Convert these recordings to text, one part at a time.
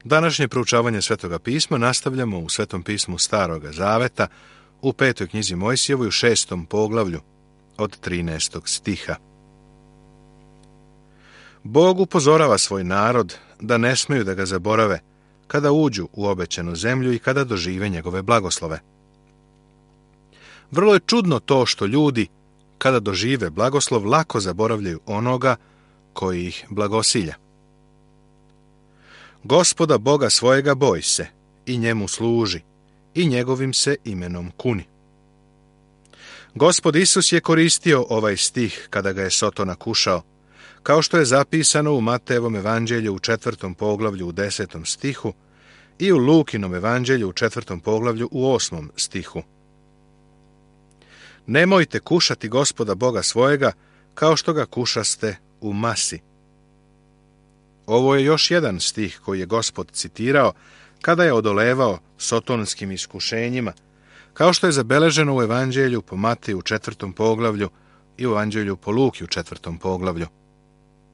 Današnje proučavanje Svetoga pisma nastavljamo u Svetom pismu Staroga Zaveta u 5. knjizi Mojsijevoj u 6. poglavlju od 13. stiha. Bog upozorava svoj narod da ne smeju da ga zaborave kada uđu u obećanu zemlju i kada dožive njegove blagoslove. Vrlo je čudno to što ljudi, kada dožive blagoslov, lako zaboravljaju onoga koji ih blagosilja. Gospoda Boga svojega boj se i njemu služi i njegovim se imenom kuni. Gospod Isus je koristio ovaj stih kada ga je Sotona kušao, kao što je zapisano u Matejevom evanđelju u 4. poglavlju u 10. stihu i u Lukinom evanđelju u 4. poglavlju u 8. stihu. Nemojte kušati Gospoda Boga svojega kao što ga kušaste u masi. Ovo je još jedan stih koji je Gospod citirao kada je odolevao sotonskim iskušenjima, kao što je zabeleženo u evanđelju po Mateju u 4. poglavlju i u evanđelju po Luki u 4. poglavlju.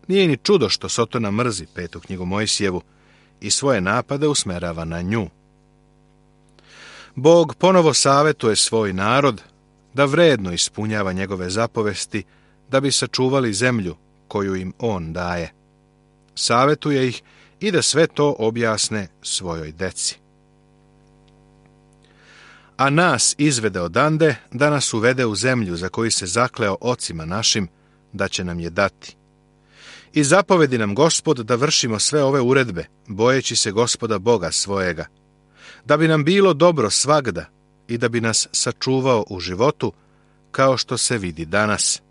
Nije ni čudo što Sotona mrzi 5. knjigu Mojsijevu i svoje napade usmerava na nju. Bog ponovo savetuje svoj narod da vredno ispunjava njegove zapovesti da bi sačuvali zemlju koju im on daje. Savetuje ih i da sve to objasne svojoj deci. A nas izvede odande da nas uvede u zemlju za koju se zakleo ocima našim da će nam je dati. I zapovedi nam Gospod da vršimo sve ove uredbe, bojeći se Gospoda Boga svojega, da bi nam bilo dobro svagda i da bi nas sačuvao u životu, kao što se vidi danas.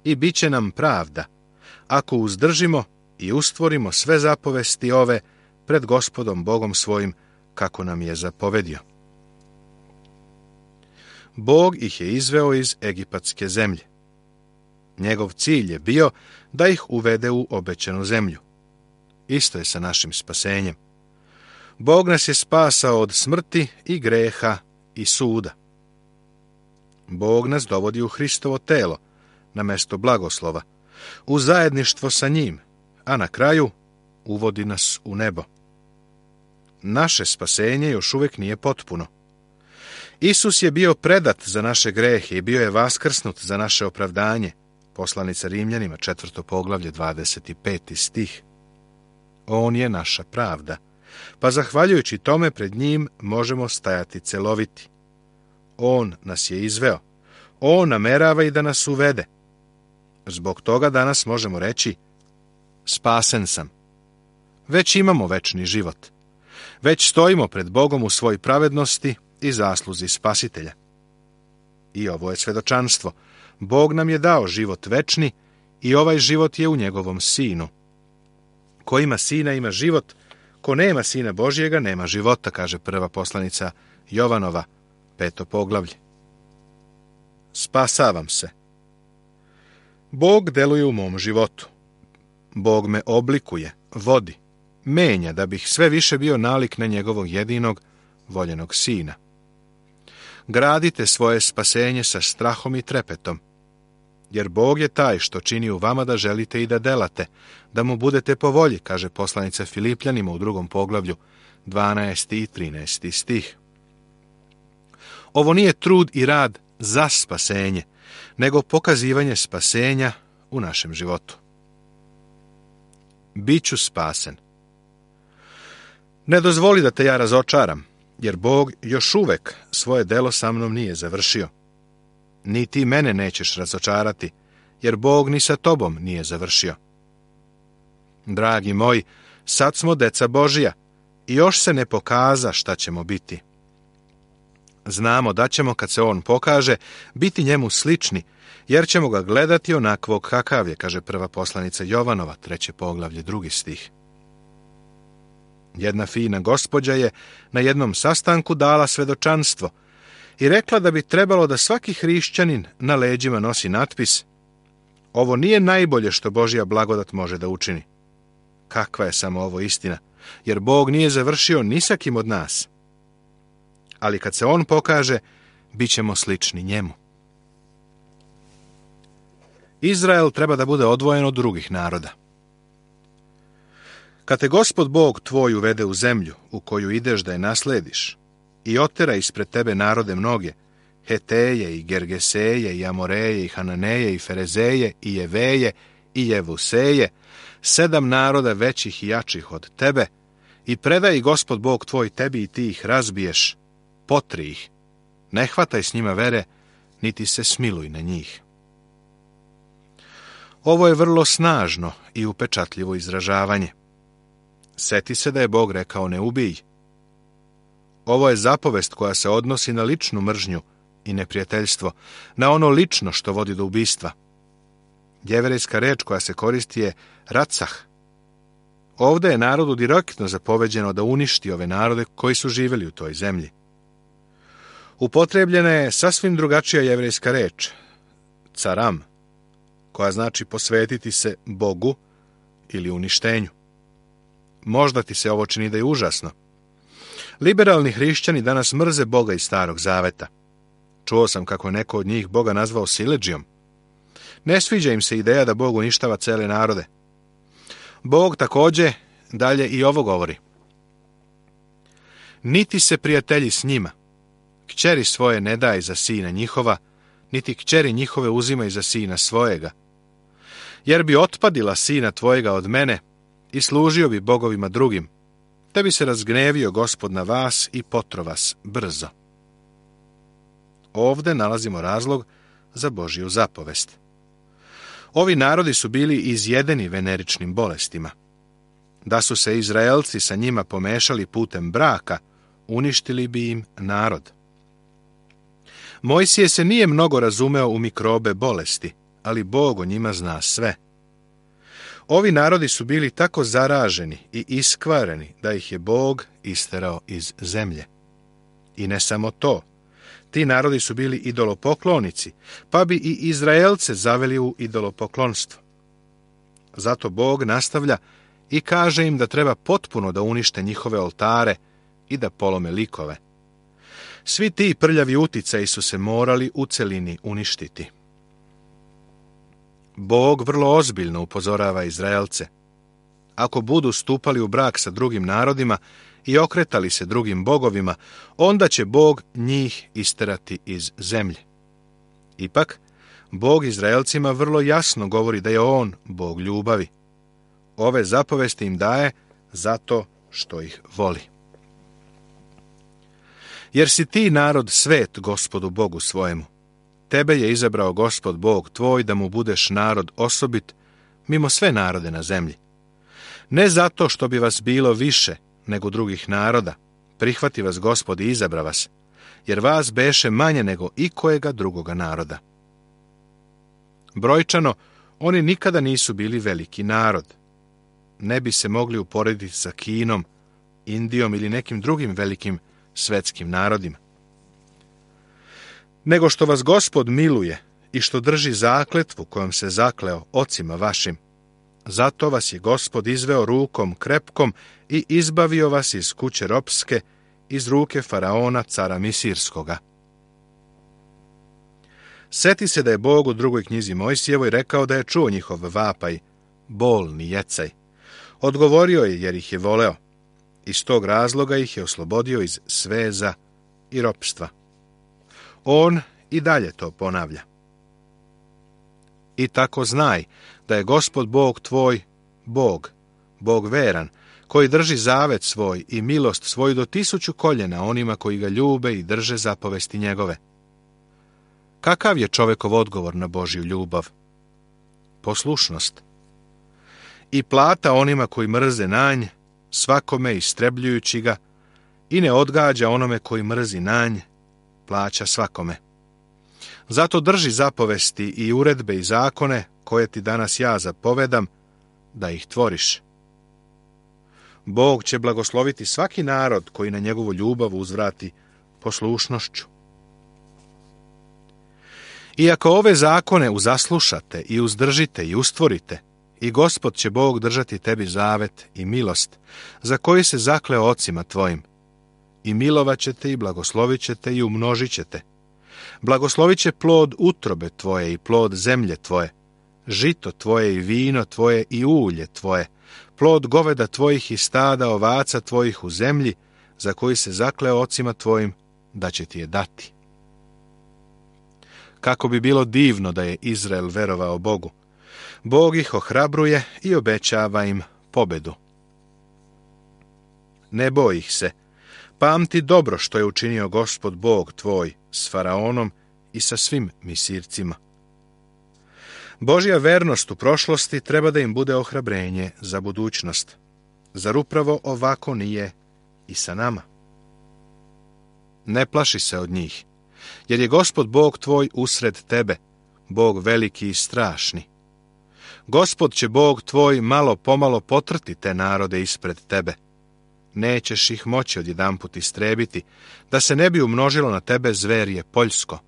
I bit će nam pravda, ako uzdržimo i ustvorimo sve zapovesti ove pred Gospodom Bogom svojim, kako nam je zapovedio. Bog ih je izveo iz egipatske zemlje. Njegov cilj je bio da ih uvede u obećanu zemlju. Isto je sa našim spasenjem. Bog nas je spasao od smrti i greha i suda. Bog nas dovodi u Hristovo telo, na mesto blagoslova, u zajedništvo sa njim, a na kraju uvodi nas u nebo. Naše spasenje još uvijek nije potpuno. Isus je bio predat za naše grehe i bio je vaskrsnut za naše opravdanje. Poslanica Rimljanima, 4. poglavlje, 25. stih. On je naša pravda, pa zahvaljujući tome pred njim možemo stajati celoviti. On nas je izveo. On namerava i da nas uvede. Zbog toga danas možemo reći: spasen sam. Već imamo večni život. Već stojimo pred Bogom u svoj pravednosti i zasluzi Spasitelja. I ovo je svedočanstvo. Bog nam je dao život večni i ovaj život je u njegovom Sinu. Ko ima Sina ima život, ko nema Sina Božjega nema života, kaže prva poslanica Jovanova, 5. poglavlje. Spasavam se. Bog deluje u mom životu. Bog me oblikuje, vodi, menja da bih sve više bio nalik na njegovog jedinog, voljenog Sina. Gradite svoje spasenje sa strahom i trepetom, jer Bog je taj što čini u vama da želite i da delate, da mu budete po volji, kaže poslanica Filipljanima u 2. poglavlju, 12. i 13. stih. Ovo nije trud i rad za spasenje, nego pokazivanje spasenja u našem životu. Biću spasen. Ne dozvoli da te ja razočaram, jer Bog još uvek svoje delo sa mnom nije završio. Ni ti mene nećeš razočarati, jer Bog ni sa tobom nije završio. Dragi moji, sad smo deca Božija i još se ne pokaza šta ćemo biti. Znamo da ćemo, kad se on pokaže, biti njemu slični, jer ćemo ga gledati onakvog kakav je, kaže prva poslanica Jovanova, 3. poglavlje, 2. stih. Jedna fina gospođa je na jednom sastanku dala svedočanstvo i rekla da bi trebalo da svaki hrišćanin na leđima nosi natpis: ovo nije najbolje što Božja blagodat može da učini. Kakva je samo ovo istina, jer Bog nije završio ni sa kim od nas. Ali kad se on pokaže, bit ćemo slični njemu. Izrael treba da bude odvojen od drugih naroda. Kad te Gospod Bog tvoj uvede u zemlju u koju ideš da je naslediš i otera ispred tebe narode mnoge, Heteje i Gergeseje i Amoreje i Hananeje i Ferezeje i Jeveje i Jevuseje, 7 naroda većih i jačih od tebe, i predaj Gospod Bog tvoj tebi i ti ih razbiješ, potri ih, ne hvataj s njima vere, niti se smiluj na njih. Ovo je vrlo snažno i upečatljivo izražavanje. Seti se da je Bog rekao ne ubij. Ovo je zapovest koja se odnosi na ličnu mržnju i neprijateljstvo, na ono lično što vodi do ubistva. Jevrejska reč koja se koristi je racah. Ovdje je narodu direktno zapoveđeno da uništi ove narode koji su živjeli u toj zemlji. Upotrebljena je sasvim drugačija jevrejska reč, caram, koja znači posvetiti se Bogu ili uništenju. Možda ti se ovo čini da je užasno. Liberalni hrišćani danas mrze Boga iz Starog Zaveta. Čuo sam kako je neko od njih Boga nazvao siledžijom. Ne sviđa im se ideja da Bog uništava cele narode. Bog također dalje i ovo govori. Niti se prijatelji s njima, kćeri svoje ne daj za sina njihova, niti kćeri njihove uzimaj za sina svojega. Jer bi otpadila sina tvojega od mene i služio bi bogovima drugim, te bi se razgnevio Gospod na vas i potro vas brzo. Ovdje nalazimo razlog za Božju zapovest. Ovi narodi su bili izjedeni veneričnim bolestima. Da su se Izraelci sa njima pomešali putem braka, uništili bi im narod. Mojsije se nije mnogo razumeo u mikrobe bolesti, ali Bog o njima zna sve. Ovi narodi su bili tako zaraženi i iskvareni da ih je Bog isterao iz zemlje. I ne samo to. Ti narodi su bili idolopoklonici, pa bi i Izraelce zaveli u idolopoklonstvo. Zato Bog nastavlja i kaže im da treba potpuno da unište njihove oltare i da polome likove. Svi ti prljavi uticaji su se morali u celini uništiti. Bog vrlo ozbiljno upozorava Izraelce. Ako budu stupali u brak sa drugim narodima i okretali se drugim bogovima, onda će Bog njih isterati iz zemlje. Ipak, Bog Izraelcima vrlo jasno govori da je On Bog ljubavi. Ove zapovesti im daje zato što ih voli. Jer si ti narod svet Gospodu Bogu svojemu. Tebe je izabrao Gospod Bog tvoj da mu budeš narod osobit mimo sve narode na zemlji. Ne zato što bi vas bilo više nego drugih naroda, prihvati vas Gospod i izabra vas, jer vas beše manje nego ikojega drugoga naroda. Brojčano, oni nikada nisu bili veliki narod. Ne bi se mogli uporediti sa Kinom, Indijom ili nekim drugim velikim svetskim narodima. Nego što vas Gospod miluje i što drži zakletvu kojom se zakleo ocima vašim, zato vas je Gospod izveo rukom krepkom i izbavio vas iz kuće ropske, iz ruke faraona cara Misirskoga. Seti se da je Bog u drugoj knjizi Mojsijevoj rekao da je čuo njihov vapaj, bolni jecaj. Odgovorio je jer ih je voleo. Iz tog razloga ih je oslobodio iz sveza i ropstva. On i dalje to ponavlja. I tako znaj da je Gospod Bog tvoj Bog, Bog veran, koji drži zavet svoj i milost svoju do 1000 koljena onima koji ga ljube i drže zapovesti njegove. Kakav je čovekov odgovor na Božju ljubav? Poslušnost. I plata onima koji mrze nanj, svakome istrebljujući ga, i ne odgađa onome koji mrzi nanj, plaća svakome. Zato drži zapovesti i uredbe i zakone koje ti danas ja zapovedam, da ih tvoriš. Bog će blagosloviti svaki narod koji na njegovu ljubav uzvrati poslušnošću. I ako ove zakone uzaslušate i uzdržite i ustvorite, i Gospod će Bog držati tebi zavet i milost, za koji se zakleo ocima tvojim, i milovat ćete i blagoslovit ćete i umnožit ćete. Blagoslovit će plod utrobe tvoje i plod zemlje tvoje, žito tvoje i vino tvoje i ulje tvoje, plod goveda tvojih i stada ovaca tvojih u zemlji, za koji se zakleo ocima tvojim da će ti je dati. Kako bi bilo divno da je Izrael verovao Bogu. Bog ih ohrabruje i obećava im pobedu. Ne boj ih se, pamti dobro što je učinio Gospod Bog tvoj s Faraonom i sa svim Misircima. Božja vernost u prošlosti treba da im bude ohrabrenje za budućnost. Zar upravo ovako nije i sa nama? Ne plaši se od njih, jer je Gospod Bog tvoj usred tebe, Bog veliki i strašni. Gospod će Bog tvoj malo pomalo potrti te narode ispred tebe. Nećeš ih moći odjedanput istrebiti, da se ne bi umnožilo na tebe zverje poljsko.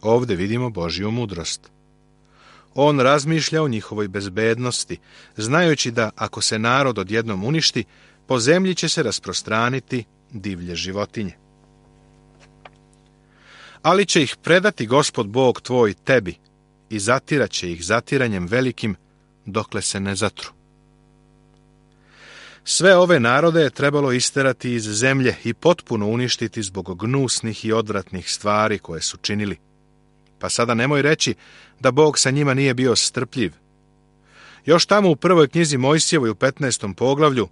Ovdje vidimo Božju mudrost. On razmišlja o njihovoj bezbednosti, znajući da ako se narod odjednom uništi, po zemlji će se rasprostraniti divlje životinje. Ali će ih predati Gospod Bog tvoj tebi i zatirat će ih zatiranjem velikim, dokle se ne zatru. Sve ove narode je trebalo isterati iz zemlje i potpuno uništiti zbog gnusnih i odvratnih stvari koje su činili. Pa sada nemoj reći da Bog sa njima nije bio strpljiv. Još tamo u prvoj knjizi Mojsijevoj u 15. poglavlju,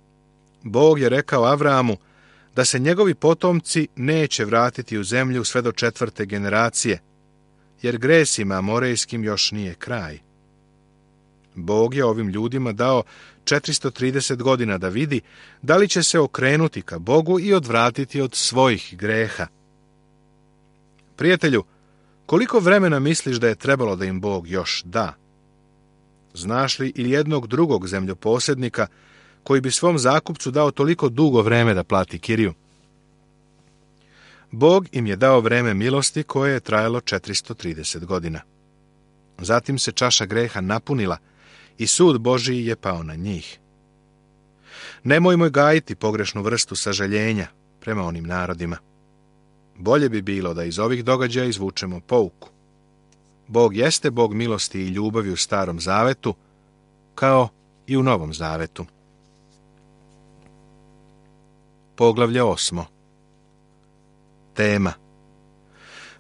Bog je rekao Avraamu da se njegovi potomci neće vratiti u zemlju sve do 4. generacije, jer gresima amorejskim još nije kraj. Bog je ovim ljudima dao 430 godina da vidi da li će se okrenuti ka Bogu i odvratiti od svojih greha. Prijatelju, koliko vremena misliš da je trebalo da im Bog još da? Znaš li ili jednog drugog zemljoposjednika koji bi svom zakupcu dao toliko dugo vreme da plati kiriju? Bog im je dao vreme milosti koje je trajalo 430 godina. Zatim se čaša greha napunila i sud Božiji je pao na njih. Nemojmo gajiti pogrešnu vrstu sažaljenja prema onim narodima. Bolje bi bilo da iz ovih događaja izvučemo pouku. Bog jeste Bog milosti i ljubavi u Starom Zavetu, kao i u Novom Zavetu. Poglavlje 8. Tema: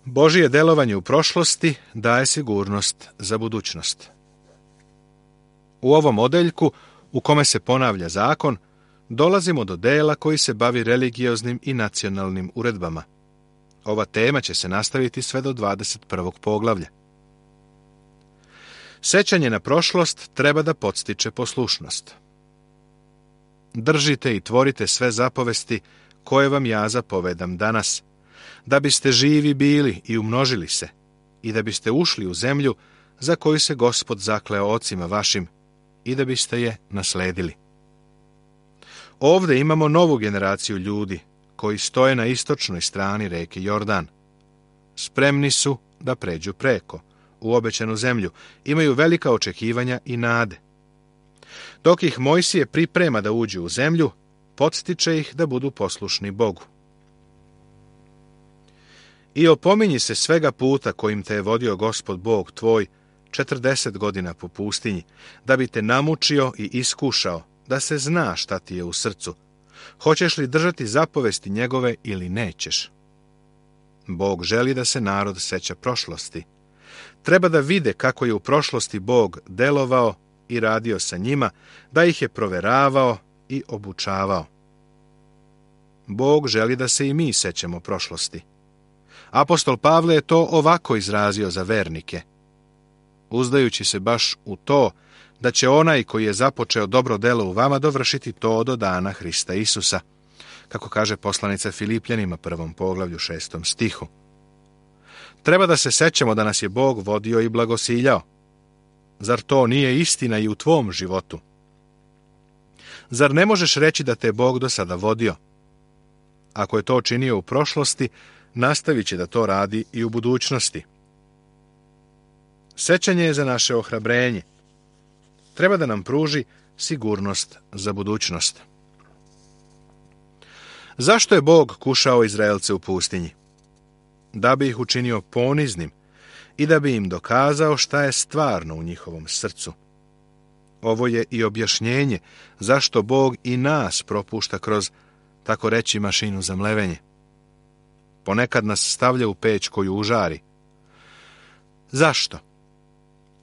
Božije delovanje u prošlosti daje sigurnost za budućnost. U ovom odeljku, u kome se ponavlja zakon, dolazimo do dela koji se bavi religioznim i nacionalnim uredbama. Ova tema će se nastaviti sve do 21. poglavlja. Sećanje na prošlost treba da podstiče poslušnost. Držite i tvorite sve zapovesti koje vam ja zapovedam danas, da biste živi bili i umnožili se, i da biste ušli u zemlju za koju se Gospod zakleo ocima vašim, i da biste je nasledili. Ovdje imamo novu generaciju ljudi koji stoje na istočnoj strani reke Jordan. Spremni su da pređu preko, u obećanu zemlju, imaju velika očekivanja i nade. Dok ih Mojsije priprema da uđu u zemlju, podstiče ih da budu poslušni Bogu. I opominji se svega puta kojim te je vodio Gospod Bog tvoj 40 godina po pustinji, da bi te namučio i iskušao, da se zna šta ti je u srcu. Hoćeš li držati zapovesti njegove ili nećeš? Bog želi da se narod seća prošlosti. Treba da vide kako je u prošlosti Bog delovao i radio sa njima, da ih je proveravao i obučavao. Bog želi da se i mi sećamo prošlosti. Apostol Pavle je to ovako izrazio za vernike, uzdajući se baš u to da će onaj koji je započeo dobro delo u vama dovršiti to do dana Hrista Isusa, kako kaže poslanica Filipljanima 1. poglavlju 6. stihu. Treba da se sećamo da nas je Bog vodio i blagosiljao. Zar to nije istina i u tvom životu? Zar ne možeš reći da te je Bog do sada vodio? Ako je to činio u prošlosti, nastavit će da to radi i u budućnosti. Sećanje je za naše ohrabrenje. Treba da nam pruži sigurnost za budućnost. Zašto je Bog kušao Izraelce u pustinji? Da bi ih učinio poniznim i da bi im dokazao šta je stvarno u njihovom srcu. Ovo je i objašnjenje zašto Bog i nas propušta kroz, tako reći, mašinu za mlevenje. Ponekad nas stavlja u peć koju užari. Zašto?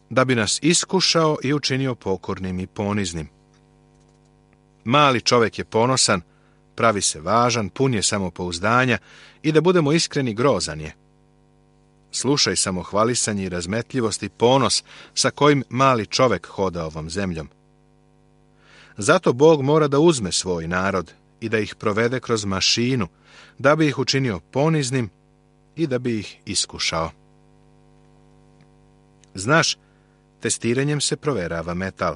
Da bi nas iskušao i učinio pokornim i poniznim. Mali čovjek je ponosan, pravi se važan, pun je samopouzdanja i da budemo iskreni, grozan je. Slušaj samohvalisanje i razmetljivost i ponos sa kojim mali čovjek hoda ovom zemljom. Zato Bog mora da uzme svoj narod i da ih provede kroz mašinu, da bi ih učinio poniznim i da bi ih iskušao. Znaš, testiranjem se proverava metal.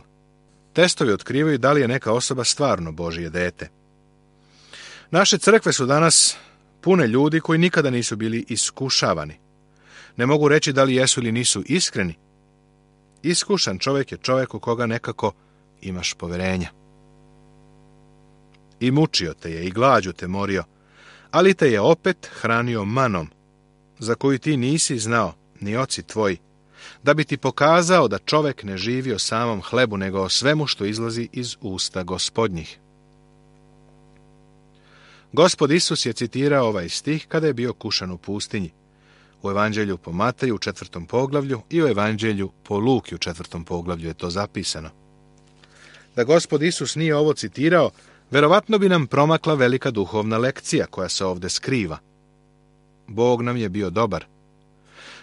Testovi otkrivaju da li je neka osoba stvarno Božje dete. Naše crkve su danas pune ljudi koji nikada nisu bili iskušavani. Ne mogu reći da li jesu ili nisu iskreni. Iskušan čovjek je čovjek u koga nekako imaš poverenja. I mučio te je i glađu te morio, ali te je opet hranio manom, za koju ti nisi znao, ni oci tvoji, da bi ti pokazao da čovjek ne živi o samom hlebu, nego o svemu što izlazi iz usta Gospodnjih. Gospod Isus je citirao ovaj stih kada je bio kušan u pustinji, u Evanđelju po Mateju u 4. poglavlju i u Evanđelju po Luki u 4. poglavlju je to zapisano. Da Gospod Isus nije ovo citirao, verovatno bi nam promakla velika duhovna lekcija koja se ovdje skriva. Bog nam je bio dobar.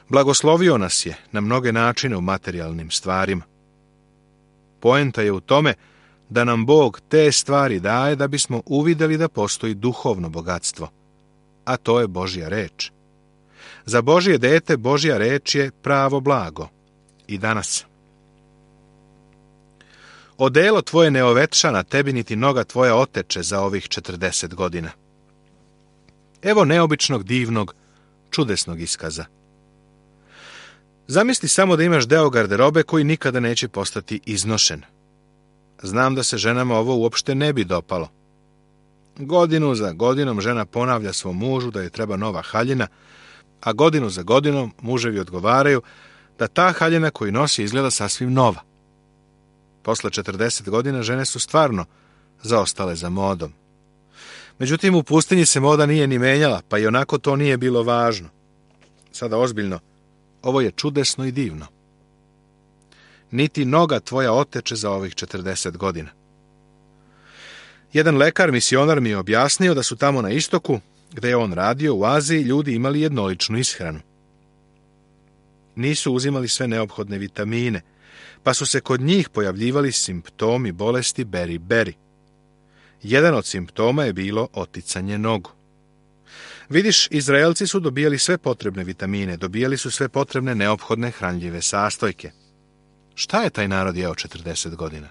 Blagoslovio nas je na mnoge načine u materijalnim stvarima. Poenta je u tome da nam Bog te stvari daje da bismo uvidjeli da postoji duhovno bogatstvo, a to je Božja reč. Za Božje dete Božja reč je pravo blago. I danas. Odelo tvoje ne ovetša na tebi, niti noga tvoja oteče za ovih 40 godina. Evo neobičnog, divnog, čudesnog iskaza. Zamisli samo da imaš deo garderobe koji nikada neće postati iznošen. Znam da se ženama ovo uopšte ne bi dopalo. Godinu za godinom žena ponavlja svom mužu da joj treba nova haljina, a godinu za godinom muževi odgovaraju da ta haljina koju nosi izgleda sasvim nova. Posle 40 godina žene su stvarno zaostale za modom. Međutim, u pustinji se moda nije ni menjala, pa i onako to nije bilo važno. Sada ozbiljno, ovo je čudesno i divno. Niti noga tvoja oteče za ovih 40 godina. Jedan lekar, misionar mi je objasnio da su tamo na istoku, gde je on radio, u Aziji, ljudi imali jednoličnu ishranu. Nisu uzimali sve neophodne vitamine, pa su se kod njih pojavljivali simptomi bolesti beri-beri. Jedan od simptoma je bilo oticanje nogu. Vidiš, Izraelci su dobijali sve potrebne vitamine, dobijali su sve potrebne neophodne hranljive sastojke. Šta je taj narod jeo 40 godina?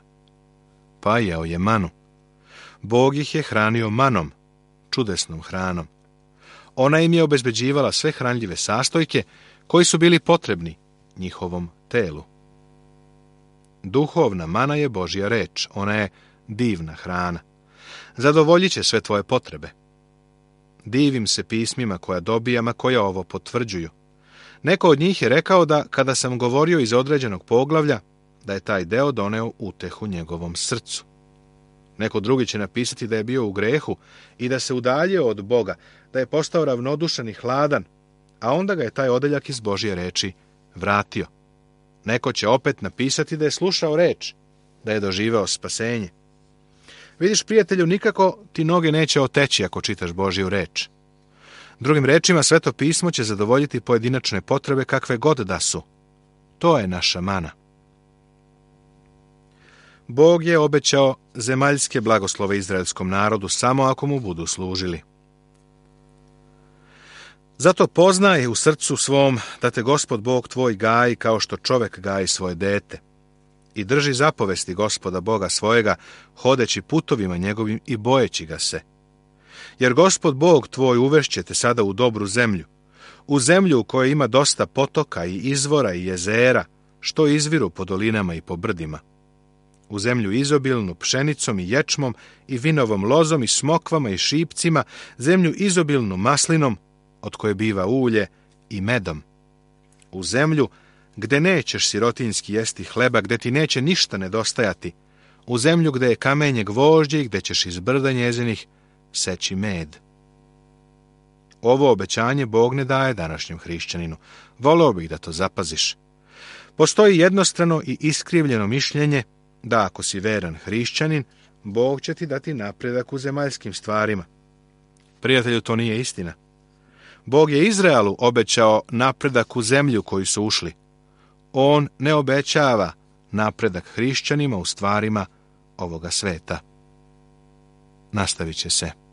Pa jeo je manu. Bog ih je hranio manom, čudesnom hranom. Ona im je obezbeđivala sve hranljive sastojke koji su bili potrebni njihovom telu. Duhovna mana je Božja reč, ona je divna hrana. Zadovoljit će sve tvoje potrebe. Divim se pismima koja dobijam, a koja ovo potvrđuju. Neko od njih je rekao da, kada sam govorio iz određenog poglavlja, da je taj deo doneo utehu njegovom srcu. Neko drugi će napisati da je bio u grehu i da se udaljio od Boga, da je postao ravnodušan i hladan, a onda ga je taj odeljak iz Božje reči vratio. Neko će opet napisati da je slušao reč, da je doživeo spasenje. Vidiš, prijatelju, nikako ti noge neće oteći ako čitaš Božju reč. Drugim rečima, Sveto pismo će zadovoljiti pojedinačne potrebe kakve god da su. To je naša mana. Bog je obećao zemaljske blagoslove izraelskom narodu samo ako mu budu služili. Zato poznaj u srcu svom da te Gospod Bog tvoj gaji kao što čovek gaji svoje dete. I drži zapovesti Gospoda Boga svojega, hodeći putovima njegovim i bojeći ga se. Jer Gospod Bog tvoj uvešće te sada u dobru zemlju, u zemlju u kojoj ima dosta potoka i izvora i jezera, što izviru po dolinama i po brdima. U zemlju izobilnu pšenicom i ječmom i vinovom lozom i smokvama i šipcima, zemlju izobilnu maslinom, od koje biva ulje, i medom. U zemlju gde nećeš sirotinski jesti hleba, gde ti neće ništa nedostajati, u zemlju gde je kamenje gvožđe i gde ćeš iz brda njezinih seći med. Ovo obećanje Bog ne daje današnjem hrišćaninu. Voleo bih da to zapaziš. Postoji jednostrano i iskrivljeno mišljenje da ako si veran hrišćanin, Bog će ti dati napredak u zemaljskim stvarima. Prijatelju, to nije istina. Bog je Izraelu obećao napredak u zemlju koju su ušli. On ne obećava napredak hrišćanima u stvarima ovoga sveta. Nastavit će se.